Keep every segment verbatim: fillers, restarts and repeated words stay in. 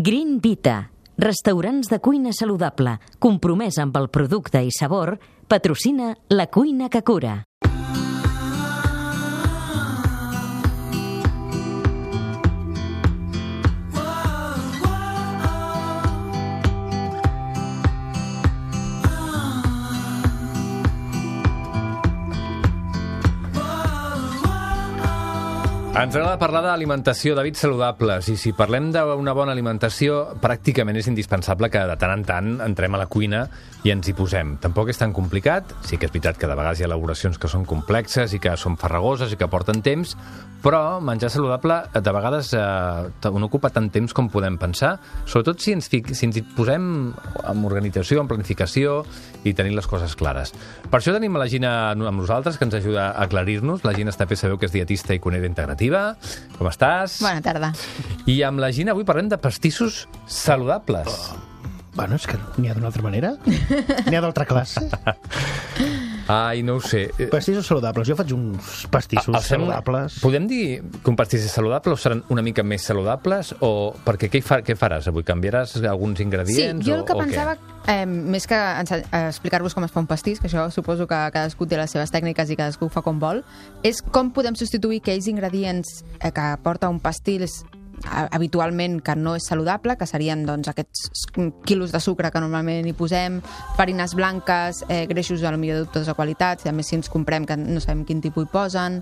Green Vita, restaurants de cuina saludable, compromès amb el producte i sabor, patrocina La Cuina que Cura. Ens agrada parlar d'alimentació, d'hàbits saludables, i si parlem d'una bona alimentació, pràcticament és indispensable que de tant en tant entrem a la cuina i ens hi posem. Tampoc és tan complicat, sí que és veritat que de vegades hi ha elaboracions que són complexes i que són farragoses i que porten temps, però menjar saludable de vegades eh, no ocupa tant temps com podem pensar, sobretot si ens, fic, si ens hi posem amb organització, amb planificació i tenint les coses clares. Per això tenim a la Gina amb nosaltres, que ens ajuda a aclarir-nos. La Gina Estapé sabeu que és dietista i cuinera integrativa. Com estàs? Bona tarda. I amb la Gina avui parlem de pastissos saludables. Oh. Bueno, és que n'hi ha d'una altra manera. N'hi ha d'altra classe. Ai, no ho sé. Pastissos saludables. Jo faig uns pastissos el saludables. Podem dir que un pastís és saludable o seran una mica més saludables? O perquè què, fa, què faràs avui? Canviaràs alguns ingredients? Sí, jo el que o, pensava, eh, més que explicar-vos com es fa un pastís, que això suposo que cadascú té les seves tècniques i cadascú ho fa com vol, és com podem substituir aquells ingredients eh, que porta un pastís habitualment que no és saludable, que serien doncs, aquests quilos de sucre que normalment hi posem, farines blanques, eh, greixos a la millor de dubtosa qualitat, a més si ens comprem que no sabem quin tipus hi posen.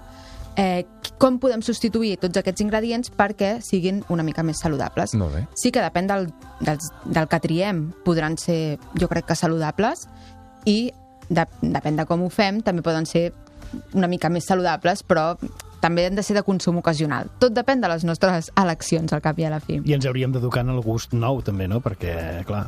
Eh, com podem substituir tots aquests ingredients perquè siguin una mica més saludables? Molt bé. Sí que depèn del, del, del que triem, podran ser, jo crec que saludables, i de, depèn de com ho fem, també poden ser una mica més saludables, però també han de ser de consum ocasional. Tot depèn de les nostres eleccions, al cap i a la fi. I ens hauríem d'educar en el gust nou, també, no? Perquè, clar...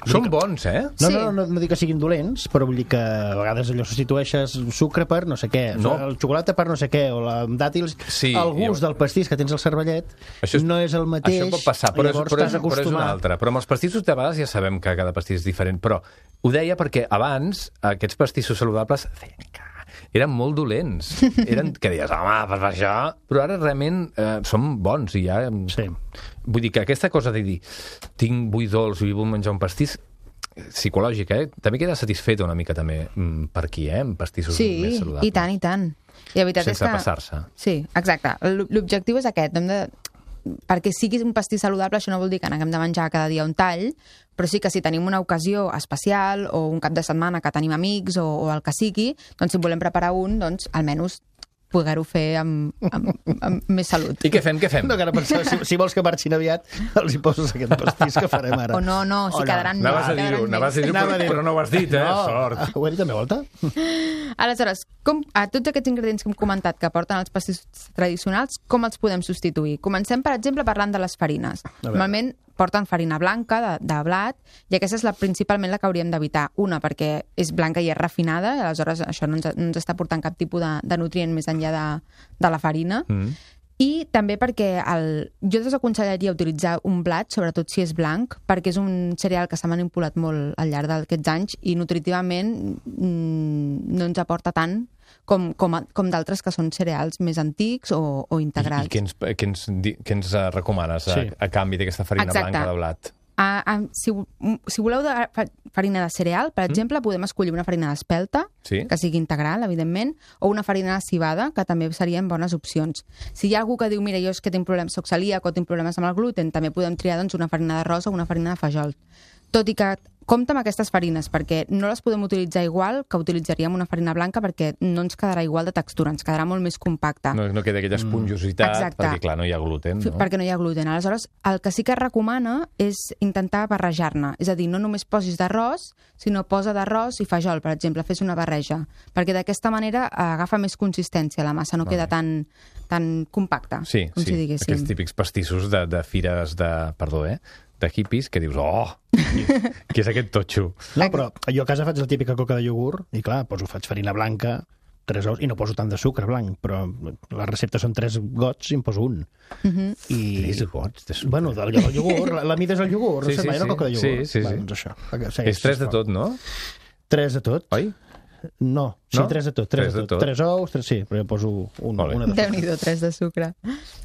Són bons, eh? No, Sí. no, no, no dic que siguin dolents, però vull dir que a vegades allò substitueixes sucre per no sé què, No. el xocolata per no sé què, o la amb dàtils... Sí, el gust jo- del pastís que tens al cervellet Això és- no és el mateix. Això pot passar, però, és, llavors però, és, estàs però és una acostumat. altra. Però amb els pastissos de vegades ja sabem que cada pastís és diferent, però ho deia perquè abans aquests pastissos saludables feien cagar. Eren molt dolents. Eren que deies, home, per això... Però ara realment eh, són bons i ja... Sí. Vull dir que aquesta cosa de dir tinc, vull dolç i vull menjar un pastís psicològica, eh? També queda satisfeta una mica també mm, per aquí, eh? Amb pastissos Sí, més saludables. i tant, i tant. I la veritat Sense és que... passar-se. Sí, exacte. L- L'objectiu és aquest. Hem de... Perquè sigui un pastís saludable, això no vol dir que n'haguem de menjar cada dia un tall, però sí que si tenim una ocasió especial o un cap de setmana que tenim amics o, o el que sigui, doncs si volem preparar un, doncs almenys poder-ho fer amb, amb, amb més salut. I què fem, què fem? No, que ara pensava, si, si vols que marxin aviat, els hi poses aquest pastís que farem ara. O no, no, si O no. quedaran més. Anaves a dir-ho, quedaran anaves a més. dir-ho, Anava a però, dir- però no ho has dit, eh? No. Sort. Ah, ho he dit també, volta? Aleshores, com, a tots aquests ingredients que hem comentat que porten els pastissos tradicionals, com els podem substituir? Comencem, per exemple, parlant de les farines. Normalment porten farina blanca, de, de blat, i aquesta és la, principalment la que hauríem d'evitar. Una, perquè és blanca i és refinada, i aleshores això no ens, no ens està portant cap tipus de, de nutrient més enllà de, de la farina. Mm. I també perquè el, jo desaconsellaria utilitzar un blat, sobretot si és blanc, perquè és un cereal que s'ha manipulat molt al llarg d'aquests anys i nutritivament mm, no ens aporta tant com, com, a- com d'altres que són cereals més antics o, o I, integrals. i què ens, què ens, di- què ens eh, recomanes a, Sí. a canvi d'aquesta farina Exacte. blanca de blat? A, a, si, si voleu de, fa- farina de cereal, per exemple, podem escollir una farina d'espelta, Sí. que sigui integral, evidentment, o una farina de civada, que també serien bones opcions. Si hi ha algú que diu, mira, jo és que tinc problemes, soc celíac o tinc problemes amb el gluten, també podem triar doncs, una farina d'arròs o una farina de fajol. Tot i que compta amb aquestes farines, perquè no les podem utilitzar igual que utilitzaríem una farina blanca, perquè no ens quedarà igual de textura, ens quedarà molt més compacta. No, no queda aquella esponjositat, Exacte. perquè clar, no hi ha gluten, F- no? Perquè no hi ha gluten. Aleshores, el que sí que es recomana és intentar barrejar-ne. És a dir, no només posis d'arròs, sinó posa d'arròs i fajol, per exemple, fes una barreja. Perquè d'aquesta manera eh, agafa més consistència la massa, no queda tan, tan compacta, Sí, com sí, si diguéssim. aquests típics pastissos de, de fires de... Perdó, eh? De hippies, que dius, oh, què és aquest totxo? No, però jo a casa faig la típica coca de iogurt i clar, poso, faig farina blanca, tres ous, i no poso tant de sucre blanc, però les receptes són tres gots i en poso un. Mhm. I... Tres gots de sucre. Bueno, del, del iogurt, la, la mida és el iogurt, Sí, no sé sí, mai sí. una coca de Sí, iogurt. sí, Va, sí. doncs això. És tres de tot, no? Tres de tot. Oi? No, sí, No? tres de tot. Tres, Tres de de tot. tot. Tres ous, tres, sí, però jo poso un, Molt bé. una de Déu-n'hi-do, tres de sucre.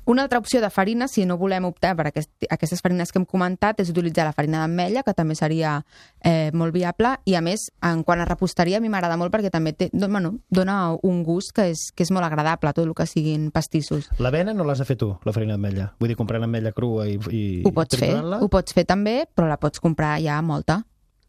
Una altra opció de farina, si no volem optar per aquest, aquestes farines que hem comentat, és utilitzar la farina d'ametlla, que també seria eh, molt viable, i a més, en quant a reposteria, a mi m'agrada molt perquè també té, don- bueno, dona un gust que és, que és molt agradable, tot el que siguin pastissos. L'avena no l'has de fer tu, la farina d'ametlla. Vull dir, comprant ametlla crua i, i Ho pots fer, triturant-la? ho pots fer també, però la pots comprar ja molta.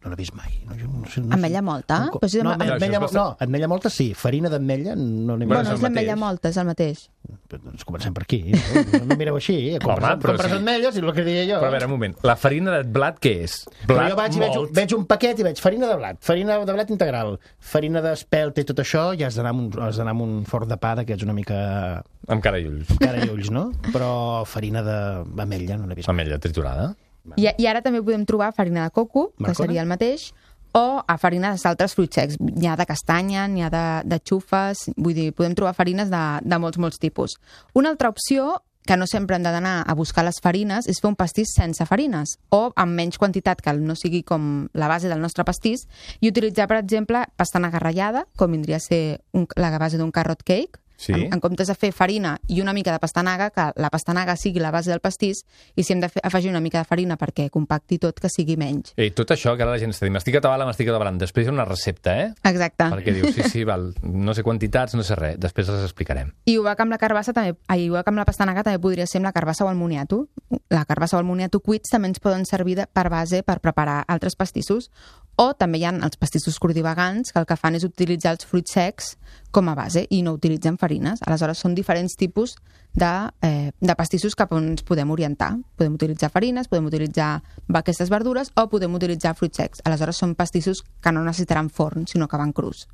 No l'he vist mai. No, jo no sé, no Ametlla sé. molta? Un co- Però si no, amb- ametlla, Això és mo- bastant- no, ametlla molta sí, farina d'ametlla no n'he Bueno, Bueno, és és el l'ametlla mateix. molta, és el mateix. Doncs comencem per aquí. No, no mireu així. Eh? Compres, Home, però compres sí. ametlles i el que deia jo. Però a veure, un moment. La farina de blat què és? Però Blat jo vaig, i veig, un- molt. veig un paquet i veig farina de blat, farina de blat integral, farina d'espelta i tot això, ja has d'anar amb, un, has d'anar amb un forn de pa d'aquests una mica Amb cara i ulls. cara i ulls, no? Però farina d'ametlla no l'he vist. Ametlla triturada. I, I ara també podem trobar farina de coco, que Marcona? seria el mateix, o a farines d'altres fruits secs. N'hi ha de castanya, n'hi ha de, de xufes, vull dir, podem trobar farines de, de molts, molts tipus. Una altra opció, que no sempre hem d'anar a buscar les farines, és fer un pastís sense farines, o amb menys quantitat, que no sigui com la base del nostre pastís, i utilitzar, per exemple, pastanaga ratllada, com vindria a ser un, la base d'un carrot cake, Sí. en, en comptes de fer farina i una mica de pastanaga, que la pastanaga sigui la base del pastís, i si hem de fer, afegir una mica de farina perquè compacti tot, que sigui menys. Ei, tot això que ara la gent està dient, m'estic atabalant, m'estic atabalant. Després hi ha una recepta, eh? Exacte. Perquè dius, sí, sí, val, no sé quantitats, no sé res, després les explicarem. I igual que amb la carbassa, també, ai, igual que amb la pastanaga, també podria ser amb la carbassa o el moniato. La carbassa o el moniato cuits també ens poden servir de, per base per preparar altres pastissos. O també hi ha els pastissos cordivagants, que el que fan és utilitzar els fruits secs com a base i no utilitzen farines. Aleshores, són diferents tipus de, eh, de pastissos cap on ens podem orientar. Podem utilitzar farines, podem utilitzar aquestes verdures o podem utilitzar fruits secs. Aleshores, són pastissos que no necessitaran forn, sinó que van crus.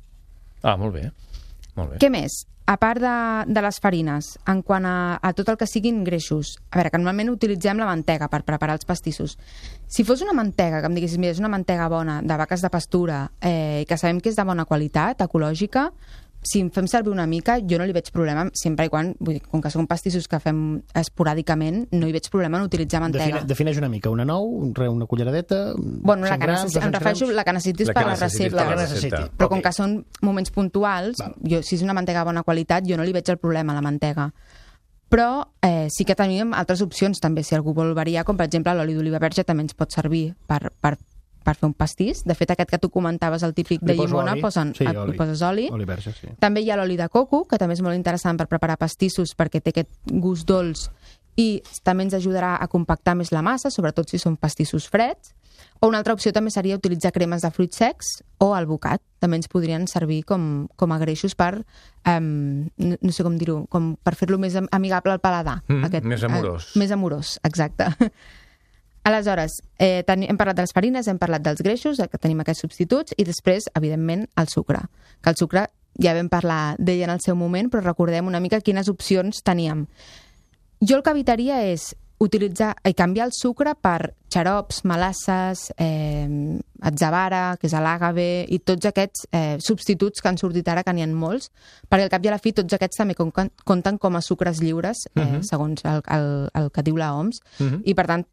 Ah, molt bé. Molt bé. Què més? A part de, de les farines, en quant a, a tot el que siguin greixos, a veure, que normalment utilitzem la mantega per preparar els pastissos. Si fos una mantega, que em diguessis, mira, és una mantega bona, de vaques de pastura, eh, que sabem que és de bona qualitat, ecològica, si en fem servir una mica, jo no li veig problema, sempre i quan, vull dir, com que són pastissos que fem esporàdicament, no hi veig problema en utilitzar mantega. Define, defineix una mica, una nou, un re- una culleradeta... Bueno, la cent que grams, necessi... em dos-cents refereixo grams. la que necessitis La per que la necessitis recepta. per la necessiti. recepta. Però Ok. com que són moments puntuals, Val. jo, si és una mantega de bona qualitat, jo no li veig el problema a la mantega. Però eh, sí que tenim altres opcions també, si algú vol variar, com per exemple l'oli d'oliva verge també ens pot servir per, per, per fer un pastís. De fet, aquest que tu comentaves, el típic de Li poso llimona, oli. posen, Sí, hi oli. poses oli. Oli verge, sí. També hi ha l'oli de coco, que també és molt interessant per preparar pastissos perquè té aquest gust dolç i també ens ajudarà a compactar més la massa, sobretot si són pastissos freds. O una altra opció també seria utilitzar cremes de fruits secs o alvocat. També ens podrien servir com, com a greixos per, um, no, no sé com dir-ho, com per fer-lo més am- amigable al paladar. Mm, més amorós. Eh, més amorós, exacte. Aleshores, eh, ten, hem parlat de les farines, hem parlat dels greixos, que tenim aquests substituts, i després, evidentment, el sucre. Que el sucre ja vam parlar d'ell en el seu moment, però recordem una mica quines opcions teníem. Jo el que evitaria és utilitzar i canviar el sucre per xarops, melasses, eh, atzavara, que és l'àgave, i tots aquests eh, substituts que han sortit ara, que n'hi ha molts, perquè al cap i a la fi tots aquests també compten, compten com a sucres lliures, eh, Mhm. segons el, el, el que diu la O M S, Mhm. i per tant,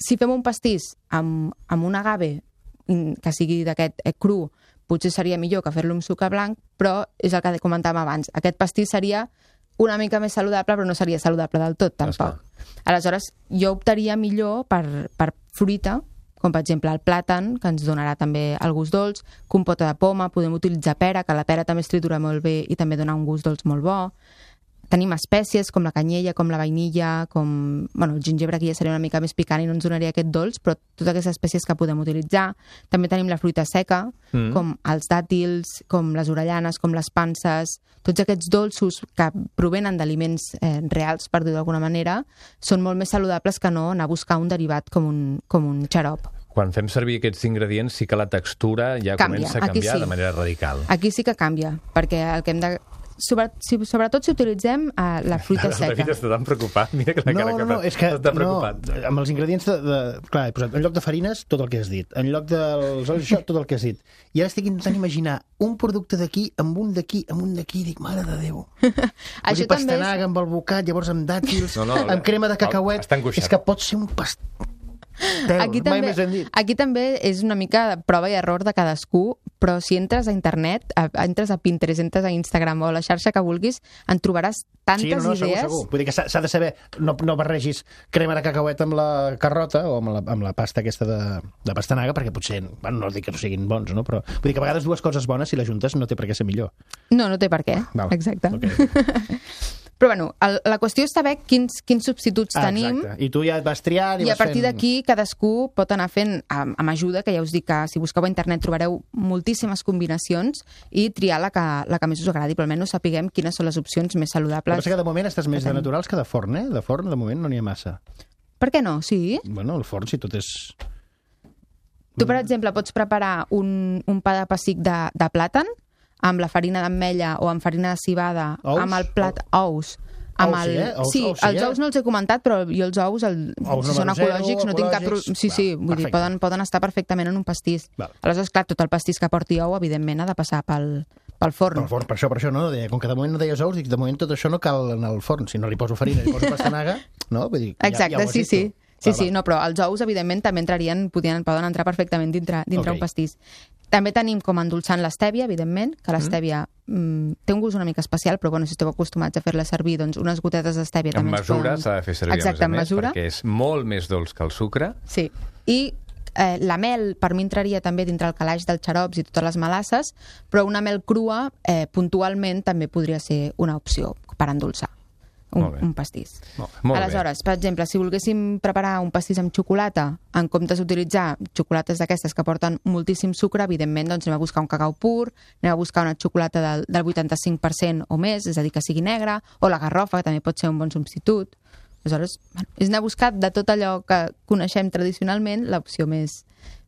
si fem un pastís amb, amb un agave mm, que sigui d'aquest eh, cru, potser seria millor que fer-lo amb sucre blanc, però és el que comentàvem abans. Aquest pastís seria una mica més saludable, però no seria saludable del tot, tampoc. Aleshores, jo optaria millor per, per fruita, com per exemple el plàtan, que ens donarà també el gust dolç, compota de poma, podem utilitzar pera, que la pera també es tritura molt bé i també dona un gust dolç molt bo. Tenim espècies com la canyella, com la vainilla, com... Bueno, el gingebre aquí ja seria una mica més picant i no ens donaria aquest dolç, però totes aquestes espècies que podem utilitzar. També tenim la fruita seca, Mm. com els dàtils, com les orellanes, com les panses. Tots aquests dolços que provenen d'aliments eh, reals, per dir-ho d'alguna manera, són molt més saludables que no anar a buscar un derivat com un, com un xarop. Quan fem servir aquests ingredients sí que la textura ja Canvia, comença a aquí canviar sí. de manera radical. Aquí sí que canvia, perquè el que hem de... Sobre, si, sobretot si utilitzem eh, la fruita El seca. David està tan preocupat. Mira que la No, cara no, que no, fa. és que Està no, preocupat. amb els ingredients de, de... Clar, he posat en lloc de farines tot el que has dit, en lloc dels olis, això, tot el que has dit. I ara estic intentant imaginar un producte d'aquí, amb un d'aquí, amb un d'aquí, dic, mare de Déu. Això també és... Pastanaga amb alvocat, llavors amb dàtils, No, no, amb crema de cacauet. està angoixat. És que pot ser un past... Teu, Aquí mai també, més hem dit. aquí també és una mica de prova i error de cadascú, però si entres a internet, a, entres a Pinterest, entres a Instagram o a la xarxa que vulguis, en trobaràs tantes Sí, no, no, segur, idees. segur. Vull dir que s'ha s'ha de saber, no, no barregis crema de cacauet amb la carrota o amb la, amb la pasta aquesta de, de pastanaga, perquè potser, bueno, no dic que no siguin bons, no? Però vull dir que a vegades dues coses bones, si les juntes, no té per què ser millor. No, no té per què. Val. Exacte. Okay. Però bueno, el, la qüestió és saber quins, quins substituts Ah, tenim. exacte. I tu ja et vas triant i, I a vas partir fent... d'aquí cadascú pot anar fent amb, amb ajuda, que ja us dic que si busqueu a internet trobareu moltíssimes combinacions i triar la que, la que més us agradi, però almenys sapiguem quines són les opcions més El que saludables. passa que de moment estàs més de tenim. naturals que de forn, eh? De forn, de moment, no n'hi ha massa. Per què no? Sí. Bueno, el forn, si tot és... Tu, per exemple, pots preparar un, un pa de pessic de, de plàtan amb la farina d'ametlla o amb farina de cibada, Ous? amb el plat ous. Amb Ous, el... sí, eh? Ous, sí, ous, sí, els eh? ous no els he comentat, però jo els ous, el... Ous si són número zero, ecològics, no tinc cap... pro- ecològics, Sí, sí, va, vull dir, perfecte. poden, poden estar perfectament en un pastís. Val. Aleshores, clar, tot el pastís que porti ou, evidentment, ha de passar pel, pel forn. El forn, per això, per això, no? Deia, com que de moment no deies ous, dic, de moment tot això no cal en el forn. Si no li poso farina, li poso pastanaga, no? Vull dir, Exacte, ja, ja ho has sí, dit sí. tu. Sí, Va, sí, va. no, però els ous, evidentment, també entrarien, podien, poden entrar perfectament dintre, dintre Ok. un pastís. També tenim com a endolçant l'estèvia, evidentment, que l'estèvia mm, té un gust una mica especial, però bueno, si esteu acostumats a fer-la servir, doncs unes gotetes d'estèvia En també ens mesura poden... s'ha de fer servir, Exacte, a en més a més, mesura. perquè és molt més dolç que el sucre. Sí, i eh, la mel per mi entraria també dintre el calaix dels xarops i totes les melasses, però una mel crua eh, puntualment també podria ser una opció per endolçar un, Molt bé. un pastís. Molt, molt Aleshores, per exemple, si volguéssim preparar un pastís amb xocolata, en comptes d'utilitzar xocolates d'aquestes que porten moltíssim sucre, evidentment doncs anem a buscar un cacau pur, anem a buscar una xocolata del, del vuitanta-cinc per cent o més, és a dir, que sigui negra, o la garrofa, que també pot ser un bon substitut. Aleshores, bueno, és anar a buscar de tot allò que coneixem tradicionalment l'opció més,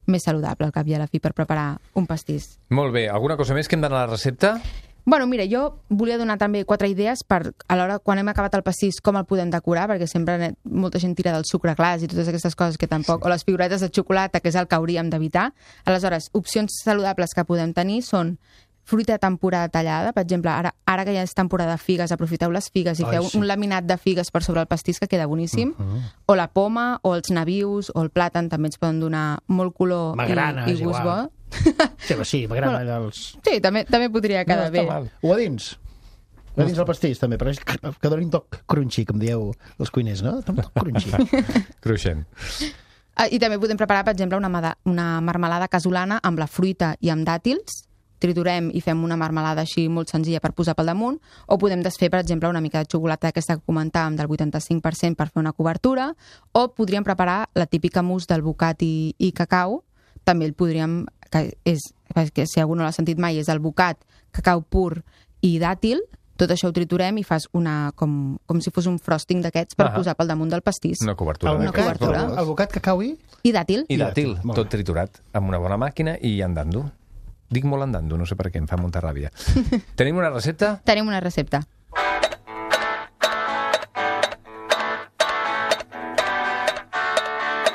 més saludable, al cap i a la fi, per preparar un pastís. bé. Molt bé. Alguna cosa més que hem d'anar a la recepta? Bueno, mira, jo volia donar també quatre idees per, a l'hora, quan hem acabat el pastís, com el podem decorar, perquè sempre ne- molta gent tira del sucre glaç i totes aquestes coses que tampoc... Sí. O les figuretes de xocolata, que és el que hauríem d'evitar. Aleshores, opcions saludables que podem tenir són fruita de temporada tallada, per exemple, ara, ara que ja és temporada de figues, aprofiteu les figues i Ai, feu sí. un laminat de figues per sobre el pastís que queda boníssim, Uh -huh. o la poma, o els nabius, o el plàtan, també ens poden donar molt color Magrana, i, i és gust igual. bo. Sí, però sí, m'agrada dels... Sí, també, també podria quedar no bé. està mal. O a dins. A dins del pastís, també, però és que, que doni un toc crunchy, com dieu els cuiners, no? Un toc crunchy. Cruixent. Ah, I també podem preparar, per exemple, una, mada- una marmelada casolana amb la fruita i amb dàtils. Triturem i fem una marmelada així molt senzilla per posar pel damunt, o podem desfer, per exemple, una mica de xocolata aquesta que comentàvem del vuitanta-cinc per cent per fer una cobertura, o podríem preparar la típica mousse del bocat i, i cacau. També el podríem, que és, que si algú no l'ha sentit mai, és el bocat, cacau pur i dàtil. Tot això ho triturem i fas una, com, com si fos un frosting d'aquests per Ah. posar pel damunt del pastís. Una cobertura. El Una d'aquestes. bocat, cobertura. el, el bocat cacau i... I dàtil. I dàtil, Molt tot bé. triturat, amb una bona màquina i andando. Dic molt andando, no sé per què, em fa molta ràbia. Tenim una recepta? Tenim una recepta.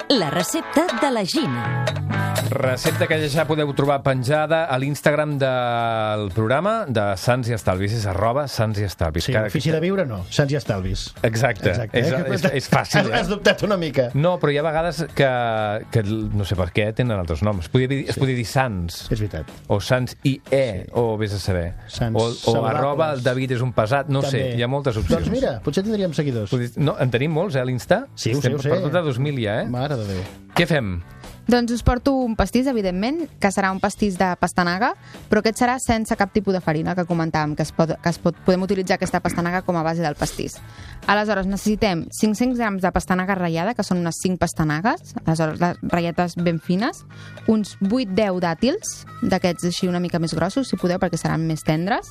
La recepta de la Gina. Recepta que ja podeu trobar penjada a l'Instagram del programa de Sants i Estalvis, és arroba Sants i Estalvis. Sí, Cada- ofici de viure no, Sants i Estalvis. Exacte, Exacte. És, eh? és, és fàcil, Has, has eh? dubtat una mica. No, però hi ha vegades que, que no sé per què tenen altres noms. Es podria dir, es podria dir Sants, És veritat. o Sants i E, o vés a saber. Sants o, o saludables. arroba el David és un pesat, no També. sé, hi ha moltes opcions. Doncs mira, potser tindríem seguidors. Podria- No, en tenim molts, eh, a l'Insta? Sí, ho sé, Estem ho sé. Per tot de dos mil ja, eh? Mare de Déu. Què fem? Doncs us porto un pastís, evidentment, que serà un pastís de pastanaga, però aquest serà sense cap tipus de farina, que comentàvem, que, es pot, que es pot, podem utilitzar aquesta pastanaga com a base del pastís. Aleshores, necessitem cinc-cents grams de pastanaga ratllada, que són unes cinc pastanagues, aleshores les ratlletes ben fines, uns vuit deu dàtils, d'aquests així una mica més grossos, si podeu, perquè seran més tendres,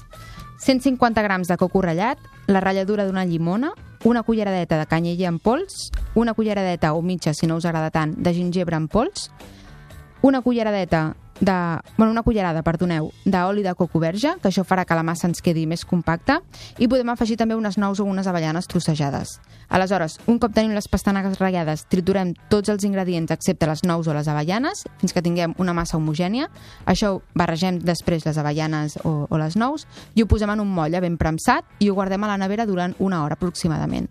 cent cinquanta grams de coco ratllat, la ratlladura d'una llimona, una culleradeta de canyella en pols, una culleradeta o mitja, si no us agrada tant, de gingebre en pols, una culleradeta de... Bueno, una cullerada, perdoneu, d'oli de coco verge, que això farà que la massa ens quedi més compacta, i podem afegir també unes nous o unes avellanes trossejades. Aleshores, un cop tenim les pastanagues ratllades, triturem tots els ingredients excepte les nous o les avellanes, fins que tinguem una massa homogènia. Això ho barregem després les avellanes o, o les nous, i ho posem en un molle ben premsat i ho guardem a la nevera durant una hora aproximadament.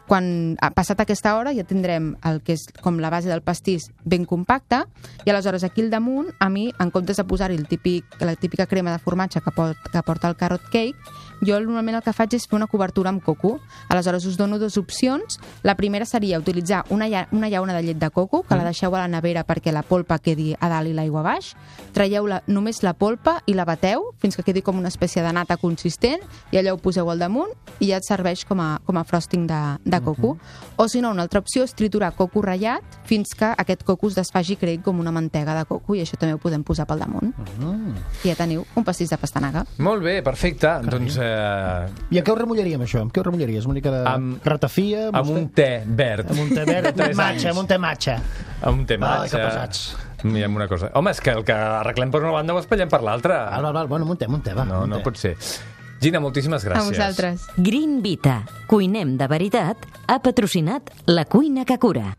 quan ha passat aquesta hora ja tindrem el que és com la base del pastís ben compacta i aleshores aquí al damunt, a mi, en comptes de posar-hi el típic, la típica crema de formatge que, pot, que porta el carrot cake, jo normalment el que faig és fer una cobertura amb coco. Aleshores us dono dues opcions. La primera seria utilitzar una, lla una llauna de llet de coco, que mm. la deixeu a la nevera perquè la polpa quedi a dalt i l'aigua a baix. Traieu la, només la polpa i la bateu fins que quedi com una espècie de nata consistent i allò ho poseu al damunt i ja et serveix com a, com a frosting de, de coco. Mm-hmm. O si no, una altra opció és triturar coco ratllat fins que aquest coco es desfaci i creï com una mantega de coco i això també ho podem posar pel damunt. Mm. I ja teniu un pastís de pastanaga. Molt bé, perfecte. Carai. Doncs... Eh... I a què ho remullaríem, això? Amb què ho remullaries? Una mica de amb, ratafia? Amb un té verd. Amb un té verd, amb matxa, amb un té matxa. Amb un té matxa. Ai, que pesats. Mirem una cosa. Home, és que el que arreglem per una banda ho espatllem per l'altra. Val, val, val. Bueno, amb un té, amb un té, va. No, no pot ser. Gina, moltíssimes gràcies. A vosaltres. Green Vita. Cuinem de veritat. Ha patrocinat La Cuina que Cura.